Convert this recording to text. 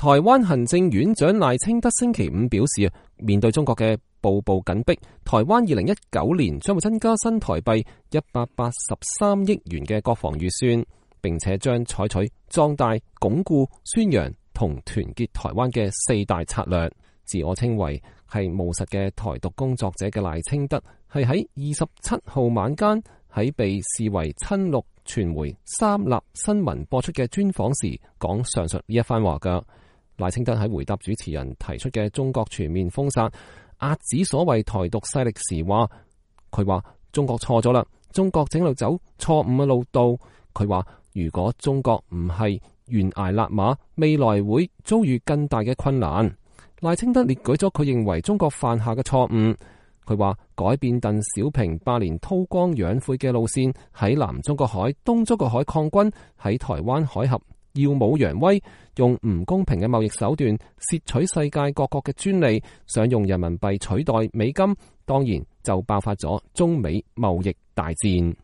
台灣行政院長賴清德星期五表示，面對中國嘅步步緊逼，台灣2019年將會增加新台幣183億元嘅國防預算，並且將採取壯大、鞏固、宣揚同團結台灣嘅4大策略。自我稱為係務實嘅台獨工作者嘅賴清德，係喺27號晚間喺被視為親綠傳媒三立新聞播出嘅專訪時講上述呢一番話㗎。賴清德喺回答主持人提出嘅中國全面封殺、遏止所謂台獨勢力時話，佢話中國錯咗啦，中國正路走錯誤嘅路道。佢話如果中國唔係懸崖勒馬，未來會遭遇更大嘅困難。賴清德列舉咗佢認為中國犯下嘅錯誤。佢話改變鄧小平8年韜光養晦嘅路線，喺南中國海、東中國海抗軍，喺台灣海峽耀武揚威，用唔公平嘅貿易手段竊取世界各國嘅專利，想用人民幣取代美金，當然就爆發咗中美貿易大戰。